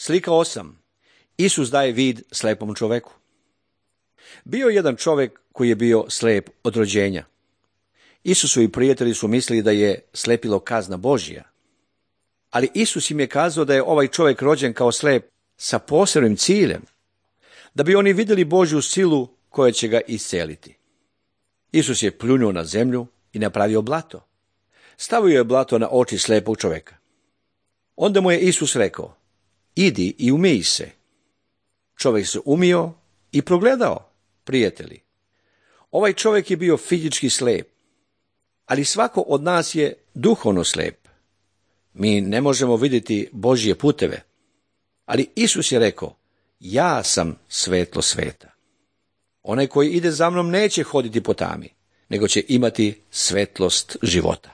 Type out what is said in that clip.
Slika 8. Isus daje vid slepom čoveku. Bio je jedan čovjek koji je bio slep od rođenja. Isusovi prijatelji su mislili da je slepilo kazna Božja. Ali Isus im je kazao da je ovaj čovjek rođen kao slep sa posebnim ciljem, da bi oni vidjeli Božju silu koja će ga isceliti. Isus je pljunuo na zemlju i napravio blato. Stavio je blato na oči slepog čovjeka. Onda mu je Isus rekao: idi i umij se. Čovjek se umio i progledao, prijatelji. Ovaj čovjek je bio fizički slep, ali svako od nas je duhovno slep. Mi ne možemo vidjeti Božje puteve, ali Isus je rekao: ja sam svetlo sveta. Onaj koji ide za mnom neće hoditi po tami, nego će imati svetlost života.